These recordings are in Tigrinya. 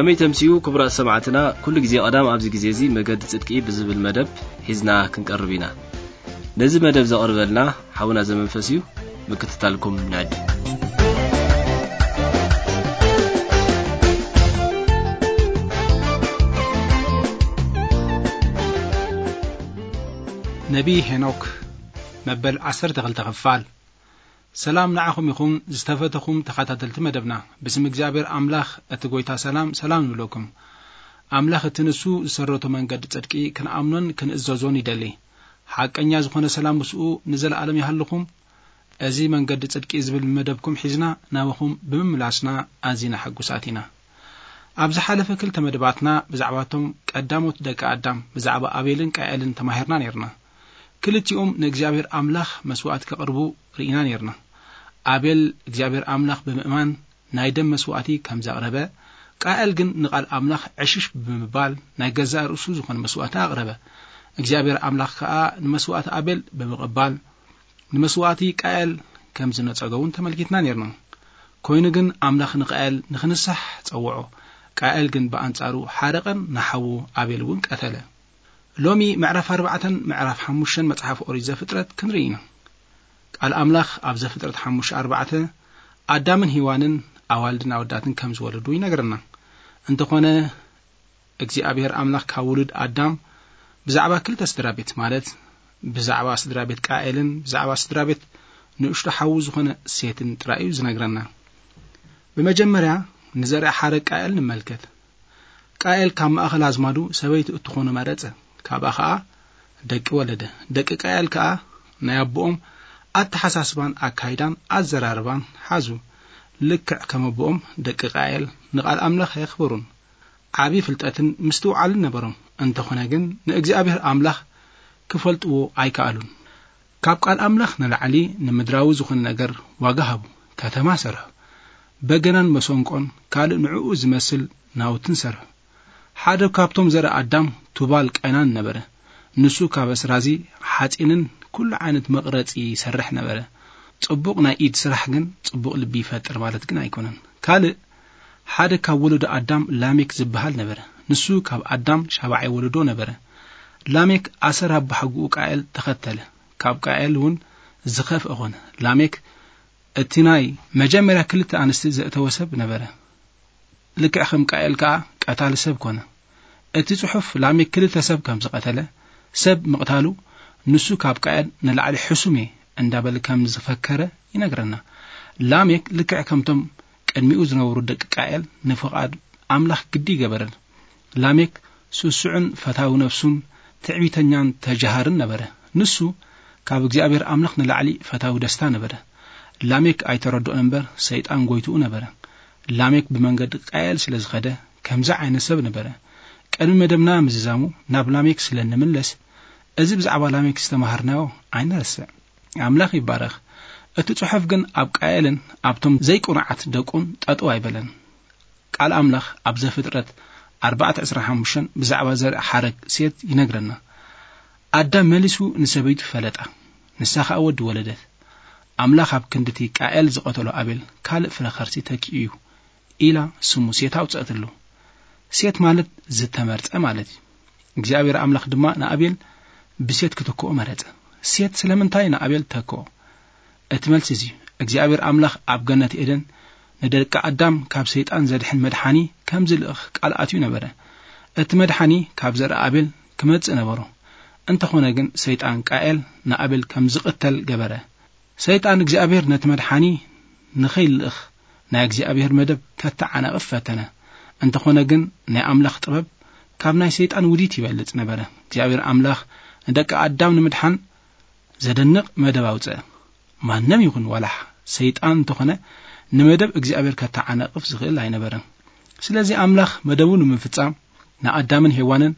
ከመይ ተምስዩ ክቡራት ሰማዕትና፣ ኩሉ ግዜ ቀዳም ኣብዚ ግዜ እዚ መገዲ ጽድቂ ብዝብል መደብ ሒዝና ክንቀርብ ኢና። ነዚ መደብ ዘቕርበልና ሓውና ዘመንፈስ እዩ። ምክትታልኩም ንዕድ። ነቢይ ሄኖክ፣ መበል ዓሰርተ ክልተ ክፋል። ሰላም ንዓኹም ይኹን ዝተፈተኹም ተኸታተልቲ መደብና። ብስም እግዚኣብሔር ኣምላኽ እቲ ጐይታ ሰላም፣ ሰላም ንብለኩም። ኣምላኽ እቲ ንሱ ዝሰረቶ መንገዲ ጽድቂ ክንኣምኖን ክንእዘዞን ይደሊ። ሓቀኛ ዝኾነ ሰላም ምስኡ ንዘለኣለም ይሃልኹም። እዚ መንገዲ ጽድቂ ዝብል መደብኩም ሒዝና ናባኹም ብምምላስና ኣዚና ሕጉሳት ኢና። ኣብ ዝሓለፈ ክልተ መደባትና ብዛዕባቶም ቀዳሞት ደቂ ኣዳም፣ ብዛዕባ ኣቤልን ቃኤልን ተማሂርና ነይርና። ክልቲኦም ንእግዚኣብሔር ኣምላኽ መስዋእቲ ከቕርቡ ርኢና ነይርና። ኣቤል እግዚኣብሔር ኣምላኽ ብምእማን ናይ ደም መስዋእቲ ከም ዘቕረበ፣ ቃኤል ግን ንቓል ኣምላኽ ዕሽሽ ብምባል ናይ ገዛእ ርእሱ ዝኾነ መስዋእቲ ኣቕረበ። እግዚኣብሔር ኣምላኽ ከኣ ንመስዋእቲ ኣቤል ብምቕባል፣ ንመስዋእቲ ቃኤል ከም ዝነጸጎ እውን ተመልኪትና ነይርና። ኮይኑ ግን ኣምላኽ ንቃኤል ንኽንሳሕ ጸውዖ። ቃኤል ግን ብኣንጻሩ ሓረቐን ንሓዉ ኣቤል እውን ቀተለ። ሎሚ ምዕራፍ ኣርባዕተን ምዕራፍ ሓሙሽተን መጽሓፍ ኦሪት ዘፍጥረት ክንርኢ ኢና። ቃል ኣምላኽ ኣብ ዘፍጥረት ሓሙሽተ ኣርባዕተ ኣዳምን ሄዋንን ኣዋልድን ኣወዳትን ከም ዝወለዱ ይነግረና። እንተኾነ እግዚኣብሔር ኣምላኽ ካብ ውሉድ ኣዳም ብዛዕባ ክልተ ስድራ ቤት፣ ማለት ብዛዕባ ስድራ ቤት ቃኤልን ብዛዕባ ስድራ ቤት ንእሽቶ ሓዉ ዝኾነ ሴትን ጥራይ እዩ ዝነግረና። ብመጀመርያ ንዘርኣ ሓረግ ቃኤል ንመልከት። ቃኤል ካብ ማእኸል ኣዝማዱ ሰበይቲ እትኾኖ መረጸ። ካብኣ ኸኣ ደቂ ወለደ። ደቂ ቃኤል ከኣ ናይ ኣቦኦም ኣተሓሳስባን ኣካይዳን ኣዘራርባን ሓዙ። ልክዕ ከም ኣቦኦም ደቂ ቃኤል ንቓል ኣምላኽ ኣየኽብሩን። ዓቢ ፍልጠትን ምስትውዓልን ነበሮም። እንተኾነ ግን ንእግዚኣብሔር ኣምላኽ ክፈልጥዎ ኣይከኣሉን። ካብ ቃል ኣምላኽ ንላዕሊ ንምድራዊ ዝኾነ ነገር ዋጋ ሃቡ። ከተማ ሰርሑ። በገናን መሰንቆን ካልእ ንዕኡ ዝመስል ናውትን ሰርሑ። ሓደ ካብቶም ዘርኢ ኣዳም ቱባል ቃይናን ነበረ። ንሱ ካብ ኣስራዚ ሓጺንን ኩሉ ዓይነት መቕረጺ ይሰርሕ ነበረ። ጽቡቕ ናይ ኢድ ስራሕ ግን ጽቡቕ ልቢ ይፈጥር ማለት ግን ኣይኮነን። ካልእ ሓደ ካብ ወለዶ ኣዳም ላሜክ ዝበሃል ነበረ። ንሱ ካብ ኣዳም ሻብዓይ ወለዶ ነበረ። ላሜክ ኣሰር ኣቦሓጎኡ ቃኤል ተኸተለ። ካብ ቃኤል እውን ዝኸፍአ ኾነ። ላሜክ እቲ ናይ መጀመርያ ክልተ ኣንስቲ ዘእተወ ሰብ ነበረ። ልክዕ ከም ቃኤል ከኣ ቀታሊ ሰብ ኮነ። እቲ ጽሑፍ ላሜክ ክልተ ሰብ ከም ዝቐተለ፣ ሰብ ምቕታሉ ንሱ ካብ ቃኤል ንላዕሊ ሕሱም እየ እንዳበለ ከም ዝፈከረ ይነግረና። ላሜክ ልክዕ ከምቶም ቅድሚኡ ዝነበሩ ደቂ ቃኤል ንፍቓድ ኣምላኽ ግዲ ይገበረን። ላሜክ ስሱዕን ፈታዊ ነፍሱን ትዕቢተኛን ተጃሃርን ነበረ። ንሱ ካብ እግዚኣብሔር ኣምላኽ ንላዕሊ ፈታዊ ደስታ ነበረ። ላሜክ ኣይተረድኦን እምበር ሰይጣን ጎይትኡ ነበረ። ላሜክ ብመንገዲ ቃኤል ስለ ዝኸደ ከምዚ ዓይነት ሰብ ነበረ። ቅድሚ መደብና ምዝዛሙ ናብ ላሜክ ስለ ንምለስ፣ እዚ ብዛዕባ ላሜክ ዝተማሃርናዮ ኣይንረስዕ። ኣምላኽ ይባረኽ። እቲ ጽሑፍ ግን ኣብ ቃኤልን ኣብቶም ዘይቁኑዓት ደቁን ጠጠው ኣይበለን። ቃል ኣምላኽ ኣብ ዘፍጥረት ኣርባዕተ ዕስራን ሓሙሽተን ብዛዕባ ዘርኢ ሓረግ ሴት ይነግረና። ኣዳም መሊሱ ንሰበይቱ ፈለጣ፣ ንሳ ኸኣ ወዲ ወለደት። ኣምላኽ ኣብ ክንድቲ ቃኤል ዝቐተሎ ኣቤል ካልእ ፍረ ኸርሲ ተኪኡ እዩ ኢላ ስሙ ሴት ኣውጸእትሉ። ሴት ማለት ዝተመርጸ ማለት እዩ። እግዚኣብሔር ኣምላኽ ድማ ንኣቤል ብሴት ክትክኦ መረጸ። ሴት ስለምንታይ ንኣቤል ተክኦ? እቲ መልሲ እዚ እዩ። እግዚኣብሔር ኣምላኽ ኣብ ገነት ኤደን ንደቂ ኣዳም ካብ ሰይጣን ዘድሕን መድሓኒ ከም ዝልእኽ ቃል ኣትዩ ነበረ። እቲ መድሓኒ ካብ ዘርኢ ኣቤል ክመጽእ ነበሮ። እንተኾነ ግን ሰይጣን ቃኤል ንኣቤል ከም ዝቕተል ገበረ። ሰይጣን እግዚኣብሔር ነቲ መድሓኒ ንኸይልእኽ ናይ እግዚኣብሔር መደብ ከተዓናቕፍ ፈተነ። እንተኾነ ግን ናይ ኣምላኽ ጥበብ ካብ ናይ ሰይጣን ውዲት ይበልጽ ነበረ። እግዚኣብሔር ኣምላኽ ንደቂ ኣዳም ንምድሓን ዘደንቕ መደብ ኣውጽአ። ማንም ይኹን ዋላ ሰይጣን እንተኾነ ንመደብ እግዚኣብሔር ከተዓናቕፍ ዝኽእል ኣይነበረን። ስለዚ ኣምላኽ መደቡ ንምፍጻም ንኣዳምን ሄዋንን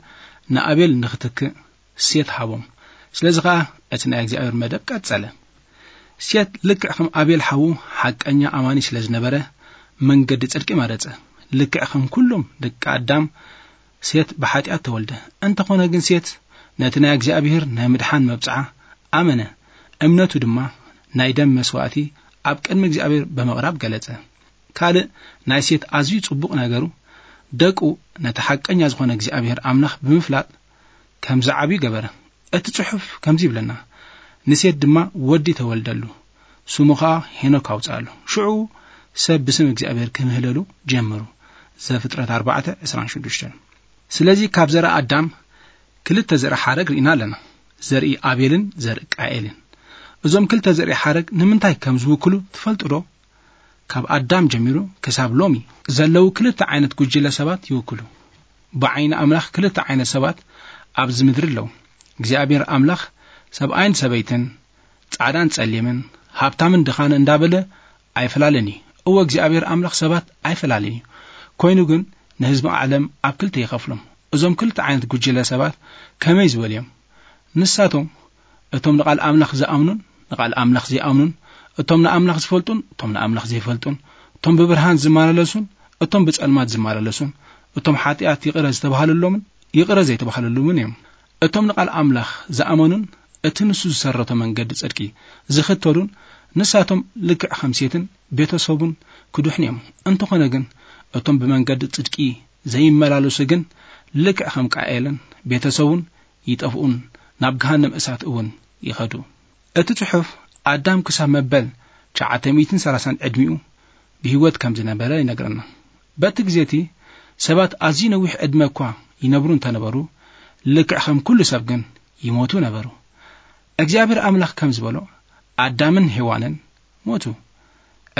ንኣቤል ንኽትክእ ሴት ሃቦም። ስለዚ ኸኣ እቲ ናይ እግዚኣብሔር መደብ ቀጸለ። ሴት ልክዕ ከም ኣቤል ሓዉ ሓቀኛ ኣማኒ ስለ ዝነበረ መንገዲ ጽድቂ መረጸ። ልክዕ ከም ኩሎም ደቂ ኣዳም ሴት ብሓጢኣት ተወልደ። እንተኾነ ግን ሴት ነቲ ናይ እግዚኣብሔር ናይ ምድሓን መብጽዓ ኣመነ። እምነቱ ድማ ናይ ደም መስዋእቲ ኣብ ቅድሚ እግዚኣብሔር ብምቕራብ ገለጸ። ካልእ ናይ ሴት ኣዝዩ ጽቡቕ ነገሩ ደቁ ነቲ ሓቀኛ ዝኾነ እግዚኣብሔር ኣምላኽ ብምፍላጥ ከም ዝዓብዩ ገበረ። እቲ ጽሑፍ ከምዚ ይብለና፣ "ንሴት ድማ ወዲ ተወልደሉ፣ ስሙ ኸኣ ሄኖክ ኣውጽኣሉ። ሽዑ ሰብ ብስም እግዚኣብሔር ክምህለሉ ጀመሩ።" ዘፍጥረት ኣርባዕተ ዕስራን ሽዱሽተን። ስለዚ ካብ ዘርኢ ኣዳም ክልተ ዘርኢ ሓረግ ርኢና ኣለና፣ ዘርኢ ኣቤልን ዘርኢ ቃኤልን። እዞም ክልተ ዘርኢ ሓረግ ንምንታይ ከም ዝውክሉ ትፈልጡ ዶ? ካብ ኣዳም ጀሚሩ ክሳብ ሎሚ ዘለዉ ክልተ ዓይነት ጉጅለ ሰባት ይውክሉ። ብዓይኒ ኣምላኽ ክልተ ዓይነት ሰባት ኣብዚ ምድሪ ኣለዉ። እግዚኣብሔር ኣምላኽ ሰብኣይን ሰበይትን፣ ጻዕዳን ጸሊምን፣ ሃብታምን ድኻን እንዳበለ ኣይፈላለን እዩ። እወ እግዚኣብሔር ኣምላኽ ሰባት ኣይፈላለን እዩ። ኮይኑ ግን ንህዝቢ ዓለም ኣብ ክልተ ይኸፍሎም። እዞም ክልተ ዓይነት ጉጅለ ሰባት ከመይ ዝበሉ እዮም? ንሳቶም እቶም ንቓል ኣምላኽ ዝኣምኑን ንቓል ኣምላኽ ዘይኣምኑን፣ እቶም ንኣምላኽ ዝፈልጡን እቶም ንኣምላኽ ዘይፈልጡን፣ እቶም ብብርሃን ዝመላለሱን እቶም ብጸልማት ዝመላለሱን፣ እቶም ሓጢኣት ይቕረ ዝተባህለሎምን ይቕረ ዘይተባህለሎምን እዮም። እቶም ንቓል ኣምላኽ ዝኣመኑን እቲ ንሱ ዝሰረቶ መንገዲ ጽድቂ ዝኽተሉን ንሳቶም ልክዕ ከም ሴትን ቤተሰቡን ክድሕኑ እዮም። እንተኾነ ግን እቶም ብመንገዲ ጽድቂ ዘይመላለሱ ግን ልክዕ ከም ቃኤልን ቤተሰቡን ይጠፍኡን ናብ ገሃነም እሳት እውን ይኸዱ። እቲ ጽሑፍ ኣዳም ክሳብ መበል ትሽዓተ ሚእትን ሰላሳን ዕድሚኡ ብህይወት ከም ዝነበረ ይነግረና። በቲ ግዜ እቲ ሰባት ኣዝዩ ነዊሕ ዕድመ እኳ ይነብሩ እንተነበሩ፣ ልክዕ ከም ኩሉ ሰብ ግን ይሞቱ ነበሩ። እግዚኣብሔር ኣምላኽ ከም ዝበሎ ኣዳምን ሄዋንን ሞቱ።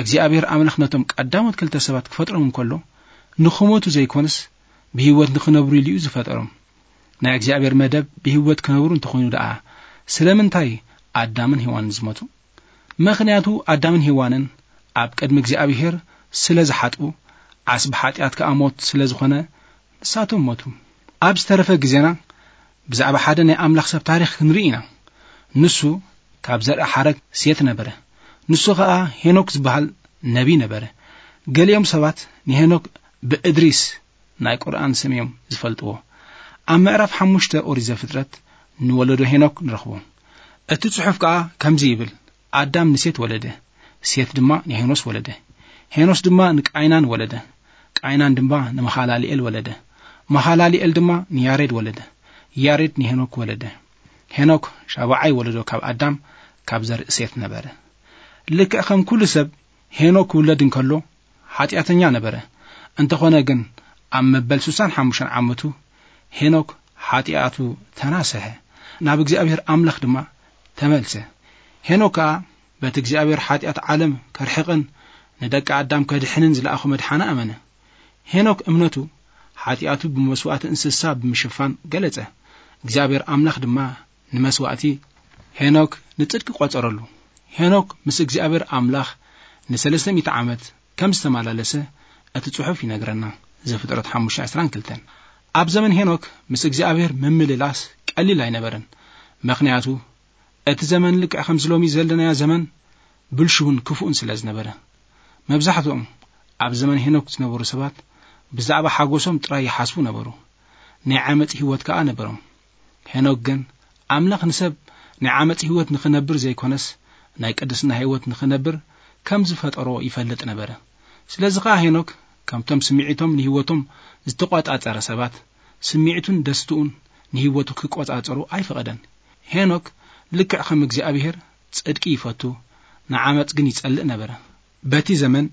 እግዚኣብሔር ኣምላኽ ነቶም ቀዳሞት ክልተ ሰባት ክፈጥሮም እንከሎ፣ ንኽሞቱ ዘይኮነስ ብህይወት ንኽነብሩ ኢሉ እዩ ዝፈጠሮም። ናይ እግዚኣብሔር መደብ ብህይወት ክነብሩ እንተኾይኑ ደኣ፣ ስለምንታይ ኣዳምን ሄዋንን ዝሞቱ? ምኽንያቱ ኣዳምን ሄዋንን ኣብ ቅድሚ እግዚኣብሔር ስለ ዝሓጥኡ፣ ዓስቢ ሓጢኣት ከኣ ሞት ስለ ዝኾነ ንሳቶም ሞቱ። ኣብ ዝተረፈ ግዜና ብዛዕባ ሓደ ናይ ኣምላኽ ሰብ ታሪኽ ክንርኢ ኢና። ንሱ ካብ ዘርኢ ሓረግ ሴት ነበረ። ንሱ ኸኣ ሄኖክ ዝበሃል ነቢይ ነበረ። ገሊኦም ሰባት ንሄኖክ ብእድሪስ ናይ ቁርኣን ስም እዮም ዝፈልጥዎ። ኣብ ምዕራፍ ሓሙሽተ ኦሪት ዘፍጥረት ንወለዶ ሄኖክ ንረኽቦ። እቲ ጽሑፍ ከኣ ከምዚ ይብል፣ ኣዳም ንሴት ወለደ፣ ሴት ድማ ንሄኖስ ወለደ፣ ሄኖስ ድማ ንቃይናን ወለደ፣ ቃይናን ድማ ንመሃላልኤል ወለደ፣ መሃላልኤል ድማ ንያሬድ ወለደ፣ ያሬድ ንሄኖክ ወለደ። ሄኖክ ሻብዓይ ወለዶ ካብ ኣዳም፣ ካብ ዘርኢ ሴት ነበረ። ልክዕ ከም ኩሉ ሰብ ሄኖክ ክውለድ እንከሎ ሓጢኣተኛ ነበረ። እንተኾነ ግን ኣብ መበል ስሳን ሓሙሽተን ዓመቱ ሄኖክ ሓጢኣቱ ተናስሐ፣ ናብ እግዚኣብሔር ኣምላኽ ድማ ተመልሰ። ሄኖክ ከኣ በቲ እግዚኣብሔር ሓጢኣት ዓለም ከርሕቕን ንደቂ ኣዳም ከድሕንን ዝለኣኾ መድሓኒ ኣመነ። ሄኖክ እምነቱ ሓጢኣቱ ብመስዋእቲ እንስሳ ብምሽፋን ገለጸ። እግዚኣብሔር ኣምላኽ ድማ ንመስዋእቲ ሄኖክ ንጽድቂ ቆጸረሉ። ሄኖክ ምስ እግዚኣብሔር ኣምላኽ ንሰለስተ ሚእቲ ዓመት ከም ዝተመላለሰ እቲ ጽሑፍ ይነግረና። ዘፍጥረት ሓሙሽተ ዕስራን ክልተን። ኣብ ዘመን ሄኖክ ምስ እግዚኣብሔር ምምልላስ ቀሊል ኣይነበረን። ምኽንያቱ እቲ ዘመን ልክዕ ከምዚ ሎሚ ዘለናዮ ዘመን ብልሹውን ክፉእን ስለ ዝነበረ። መብዛሕትኦም ኣብ ዘመን ሄኖክ ዝነበሩ ሰባት ብዛዕባ ሓጎሶም ጥራይ ይሓስቡ ነበሩ። ናይ ዓመጽ ህይወት ከኣ ነበሮም። ሄኖክ ግን ኣምላኽ ንሰብ ናይ ዓመጽ ህይወት ንኽነብር ዘይኮነስ ናይ ቅድስና ህይወት ንኽነብር ከም ዝፈጠሮ ይፈልጥ ነበረ። ስለዚ ኸኣ ሄኖክ ከምቶም ስምዒቶም ንህይወቶም ዝተቖጻጸረ ሰባት ስምዒቱን ደስትኡን ንህይወቱ ክቆጻጸሩ ኣይፈቐደን። ሄኖክ ልክዕ ከም እግዚኣብሔር ጽድቂ ይፈቱ፣ ንዓመጽ ግን ይጸልእ ነበረ። በቲ ዘመን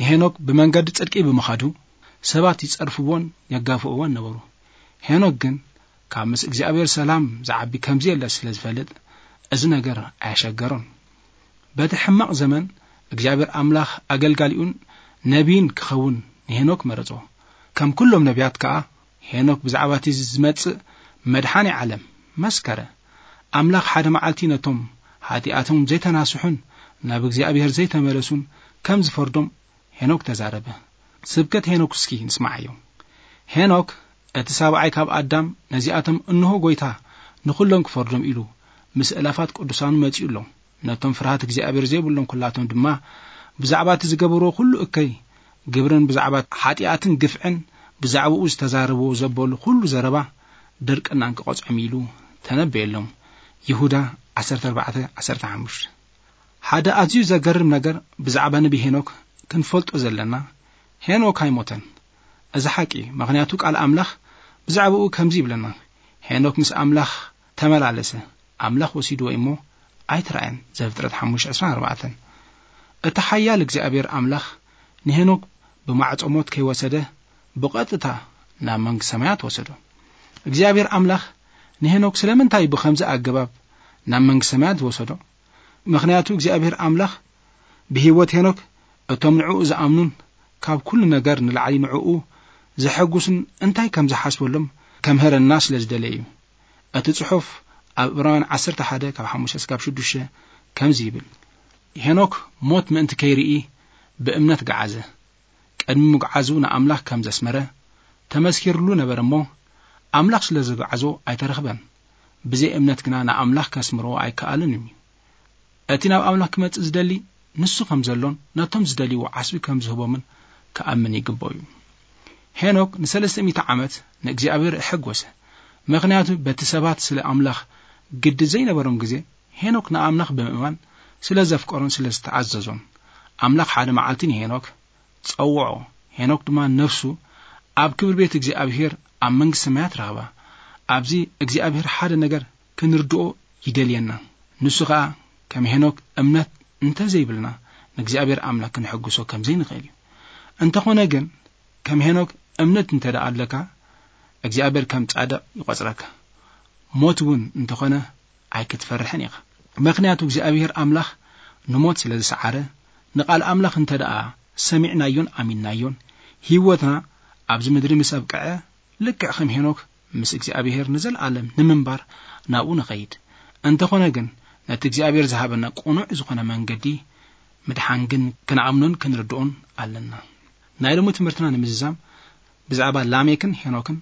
ንሄኖክ ብመንገዲ ጽድቂ ብምኻዱ ሰባት ይጸርፍዎን የጋፍዕዎን ነበሩ። ሄኖክ ግን ካብ ምስ እግዚኣብሔር ሰላም ዝዓቢ ከምዚ የለ ስለ ዝፈልጥ እዚ ነገር ኣየሸገሮን። በቲ ሕማቕ ዘመን እግዚኣብሔር ኣምላኽ ኣገልጋሊኡን ነቢይን ክኸውን ንሄኖክ መረጾ። ከም ኩሎም ነቢያት ከኣ ሄኖክ ብዛዕባ እቲ ዝመጽእ መድሓኒ ዓለም መስከረ። ኣምላኽ ሓደ መዓልቲ ነቶም ሓጢኣቶም ዘይተናስሑን ናብ እግዚኣብሔር ዘይተመለሱን ከም ዝፈርዶም ሄኖክ ተዛረበ። ስብከት ሄኖክ እስኪ ንስማዓዮ። ሄኖክ እቲ ሳብዓይ ካብ ኣዳም ነዚኣቶም እንሆ ጐይታ ንኹሎም ክፈርዶም ኢሉ ምስ እላፋት ቅዱሳኑ መጺኡ ኣሎ። ነቶም ፍርሃት እግዚኣብሔር ዘይብሎም ኩላቶም ድማ ብዛዕባ እቲ ዝገበርዎ ኩሉ እከይ ግብርን ብዛዕባ ሓጢኣትን ግፍዕን ብዛዕባኡ ዝተዛረብዎ ዘበሉ ኩሉ ዘረባ ድርቅናን ክቐጽዖም ኢሉ ተነበየሎም። ይሁዳ ዓሰርተ ኣርባዕተ ዓሰርተ ሓሙሽተ። ሓደ ኣዝዩ ዘገርም ነገር ብዛዕባ ነቢ ሄኖክ ክንፈልጦ ዘለና፣ ሄኖክ ኣይሞተን። እዚ ሓቂ እዩ። ምኽንያቱ ቃል ኣምላኽ ብዛዕባኡ ከምዚ ይብለና፣ "ሄኖክ ምስ ኣምላኽ ተመላለሰ፣ ኣምላኽ ወሲድዎ እሞ ኣይተራእየን።" ዘፍጥረት ሓሙሽተ ዕስራን ኣርባዕተን። እቲ ሓያል እግዚኣብሔር ኣምላኽ ንሄኖክ ብማዕጾ ሞት ከይወሰደ ብቐጥታ ናብ መንግስቲ ሰማያት ወሰዶ። እግዚኣብሔር ኣምላኽ ንሄኖክ ስለምንታይ ብኸምዚ ኣገባብ ናብ መንግስቲ ሰማያት ዝወሰዶ? ምኽንያቱ እግዚኣብሔር ኣምላኽ ብህይወት ሄኖክ እቶም ንዕኡ ዝኣምኑን ካብ ኩሉ ነገር ንላዕሊ ንዕኡ ዘሐጉስን እንታይ ከም ዝሓስበሎም ከምህረና ስለ ዝደለየ እዩ። እቲ ጽሑፍ ኣብ ዕብራውያን ዓሰርተ ሓደ ካብ ሓሙሽተ እስካብ ሽዱሽተ ከምዚ ይብል፣ "ሄኖክ ሞት ምእንቲ ከይርኢ ብእምነት ገዓዘ። ቅድሚ ምጉዓዙ ንኣምላኽ ከም ዘስመረ ተመስኪርሉ ነበረ እሞ፣ ኣምላኽ ስለ ዘጉዓዞ ኣይተረኽበን። ብዘይ እምነት ግና ንኣምላኽ ከስምርዎ ኣይከኣልን እዩ። እቲ ናብ ኣምላኽ ክመጽእ ዝደሊ ንሱ ከም ዘሎን ነቶም ዝደልይዎ ዓስቢ ከም ዝህቦምን ክኣምን ይግብኦ እዩ።" ሄኖክ ንሰለስተ ሚእቲ ዓመት ንእግዚኣብሔር ኣሐጎሰ። ምኽንያቱ በቲ ሰባት ስለ ኣምላኽ ግዲ ዘይነበሮም ግዜ፣ ሄኖክ ንኣምላኽ ብምእማን ስለ ዘፍቀሮን ስለ ዝተኣዘዞን፣ ኣምላኽ ሓደ መዓልቲ ንሄኖክ ጸውዖ። ሄኖክ ድማ ነፍሱ ኣብ ክብሪ ቤት እግዚኣብሔር ኣብ መንግስቲ ሰማያት ረኽባ። ኣብዚ እግዚኣብሔር ሓደ ነገር ክንርድኦ ይደልየና። ንሱ ኸኣ ከም ሄኖክ እምነት እንተዘይብልና ንእግዚኣብሔር ኣምላኽ ክንሕግሶ ከም ዘይንኽእል እዩ። እንተኾነ ግን ከም ሄኖክ እምነት እንተ ደኣ ኣለካ እግዚኣብሔር ከም ጻድቕ ይቖጽረካ። ሞት እውን እንተኾነ ኣይክትፈርሕን ኢኻ። ምኽንያቱ እግዚኣብሔር ኣምላኽ ንሞት ስለ ዝሰዓረ፣ ንቓል ኣምላኽ እንተ ደኣ ሰሚዕናዮን ኣሚንናዮን፣ ህይወትና ኣብዚ ምድሪ ምስ ኣብቅዐ፣ ልክዕ ከም ሄኖክ ምስ እግዚኣብሔር ንዘለኣለም ንምንባር ናብኡ ንኸይድ። እንተኾነ ግን ነቲ እግዚኣብሔር ዝሃበና ቅኑዕ ዝኾነ መንገዲ ምድሓን ግን ክንኣምኖን ክንርድኦን ኣለና። ናይ ሎሚ ትምህርትና ንምዝዛም ብዛዕባ ላሜክን ሄኖክን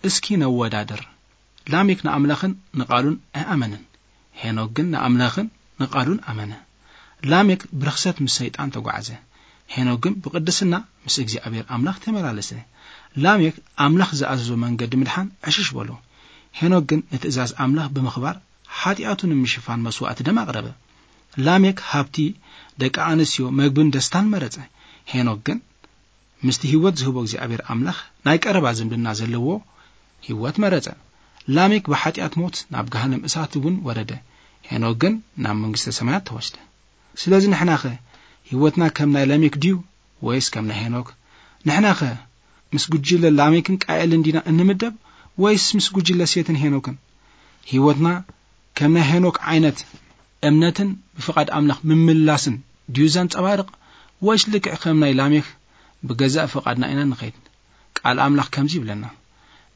እስኪ ነወዳድር። ላሜክ ንኣምላኽን ንቓሉን ኣይኣመነን። ሄኖክ ግን ንኣምላኽን ንቓሉን ኣመነ። ላሜክ ብርኽሰት ምስ ሰይጣን ተጓዕዘ። ሄኖክ ግን ብቅድስና ምስ እግዚኣብሔር ኣምላኽ ተመላለሰ። ላሜክ ኣምላኽ ዝኣዘዞ መንገዲ ምድሓን ዕሽሽ በሎ። ሄኖክ ግን ንትእዛዝ ኣምላኽ ብምኽባር ሓጢኣቱ ንምሽፋን መስዋእቲ ደም ኣቕረበ። ላሜክ ሃብቲ፣ ደቂ ኣንስትዮ፣ መግብን ደስታን መረጸ። ሄኖክ ግን ምስቲ ህይወት ዝህቦ እግዚኣብሔር ኣምላኽ ናይ ቀረባ ዝምድና ዘለዎ ህይወት መረጸ። ላሜክ ብሓጢኣት ሞት ናብ ገሃነም እሳት እውን ወረደ። ሄኖክ ግን ናብ መንግስተ ሰማያት ተወስደ። ስለዚ ንሕናኸ ህይወትና ከም ናይ ላሜክ ድዩ ወይስ ከም ናይ ሄኖክ? ንሕናኸ ምስ ጉጅለ ላሜክን ቃኤልን ዲና እንምደብ ወይስ ምስ ጉጅለ ሴትን ሄኖክን? ህይወትና ከም ናይ ሄኖክ ዓይነት እምነትን ብፍቓድ ኣምላኽ ምምላስን ድዩ ዘንጸባርቕ ወይስ ልክዕ ከም ናይ ላሜክ ብገዛእ ፍቓድና ኢና ንኸይድ? ቃል ኣምላኽ ከምዚ ይብለና፣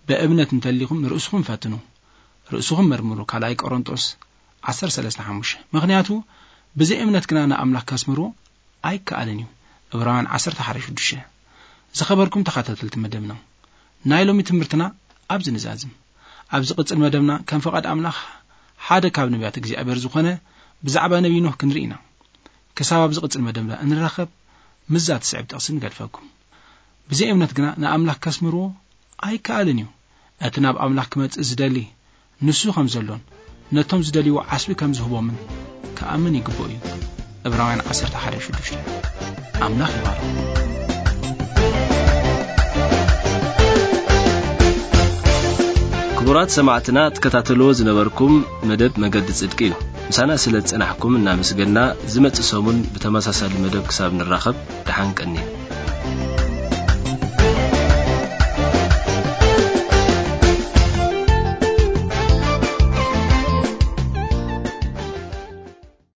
"ብእምነት እንተሊኹም ንርእስኹም ፈትኑ፣ ርእስኹም መርምሩ" ካልኣይ ቆሮንጦስ ዓሰርተ ሰለስተ ሓሙሽተ። ምኽንያቱ ብዘይ እምነት ግና ንኣምላኽ ከስምርዎ ኣይከኣልን እዩ። ዕብራውያን ዓሰርተ ሓደ ሽዱሽተ። ዝኸበርኩም ተኸታተልቲ መደብና፣ ናይ ሎሚ ትምህርትና ኣብዚ ንዛዝም። ኣብ ዝቕጽል መደብና ከም ፍቓድ ኣምላኽ ሓደ ካብ ነቢያት እግዚኣብሔር ዝኾነ ብዛዕባ ነቢይ ኖህ ክንርኢ ኢና። ክሳብ ኣብ ዝቕጽል መደብና እንራኸብ ምስዛ ትስዕብ ጥቕሲ ንገድፈኩም። ብዘይ እምነት ግና ንኣምላኽ ከስምርዎ ኣይከኣልን እዩ። እቲ ናብ ኣምላኽ ክመጽእ ዝደሊ ንሱ ከም ዘሎን ነቶም ዝደልይዎ ዓስቢ ከም ዝህቦምን ክኣምን ይግብኦ እዩ። ዕብራውያን ዓሰርተ ሓደ ሽዱሽተ። ኣምላኽ ይባርኽ። ክቡራት ሰማዕትና ትከታተልዎ ዝነበርኩም መደብ መገዲ ጽድቂ እዩ። ምሳና ስለ ዝጸናሕኩም እናመስገና፣ ዝመጽእ ሰሙን ብተመሳሳሊ መደብ ክሳብ ንራኸብ ደሓን ቀንዩ።